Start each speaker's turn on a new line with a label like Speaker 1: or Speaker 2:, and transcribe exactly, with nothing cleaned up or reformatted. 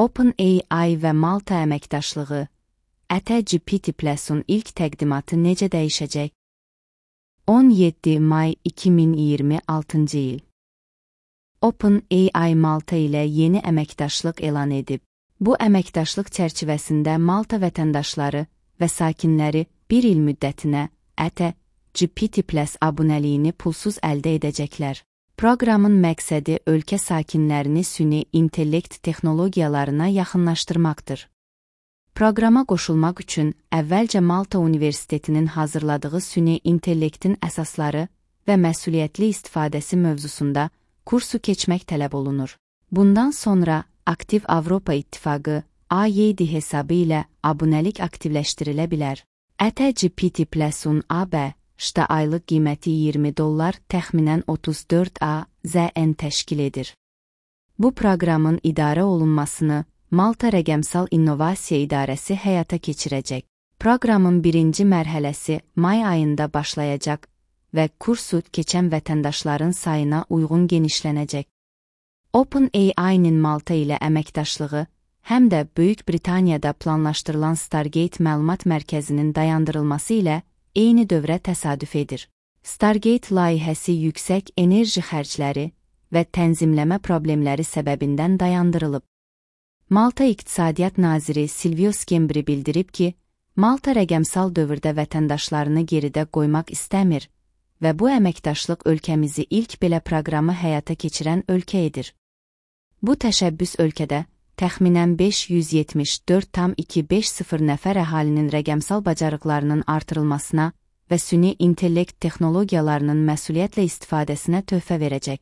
Speaker 1: OpenAI və Malta əməkdaşlığı, ATGPT Plus-un ilk təqdimatı necə dəyişəcək? on yeddi may iki min iyirmi altıncı il. OpenAI Malta ilə yeni əməkdaşlıq elan edib. Bu əməkdaşlıq çərçivəsində Malta vətəndaşları və sakinləri bir il müddətinə ATGPT Plus abunəliyini pulsuz əldə edəcəklər. Proqramın məqsədi ölkə sakinlərini süni intellekt texnologiyalarına yaxınlaşdırmaqdır. Proqrama qoşulmaq üçün əvvəlcə Malta Universitetinin hazırladığı süni intellektin əsasları və məsuliyyətli istifadəsi mövzusunda kursu keçmək tələb olunur. Bundan sonra Aktiv Avropa İttifaqı A Y D hesabı ilə abunəlik aktivləşdirilə bilər. ATGPT Plus-un A B Şda aylıq qiyməti iyirmi dollar, təxminən otuz dörd A Z N təşkil edir. Bu proqramın idarə olunmasını Malta Rəqəmsal İnnovasiya İdarəsi həyata keçirəcək. Proqramın birinci mərhələsi may ayında başlayacaq və kursu keçən vətəndaşların sayına uyğun genişlənəcək. OpenAI-nin Malta ilə əməkdaşlığı, həm də Böyük Britaniyada planlaşdırılan Stargate məlumat mərkəzinin dayandırılması ilə eyni dövrə təsadüf edir. Stargate layihəsi yüksək enerji xərcləri və tənzimləmə problemləri səbəbindən dayandırılıb. Malta İqtisadiyyat Naziri Silvio Skembri bildirib ki, Malta rəqəmsal dövrdə vətəndaşlarını geridə qoymaq istəmir və bu əməkdaşlıq ölkəmizi ilk belə proqramı həyata keçirən ölkə edir. Bu təşəbbüs ölkədə təxminən beş yüz yetmiş dörd tam iki beş sıfır nəfər əhalinin rəqəmsal bacarıqlarının artırılmasına və süni intellekt texnologiyalarının məsuliyyətlə istifadəsinə töhfə verəcək.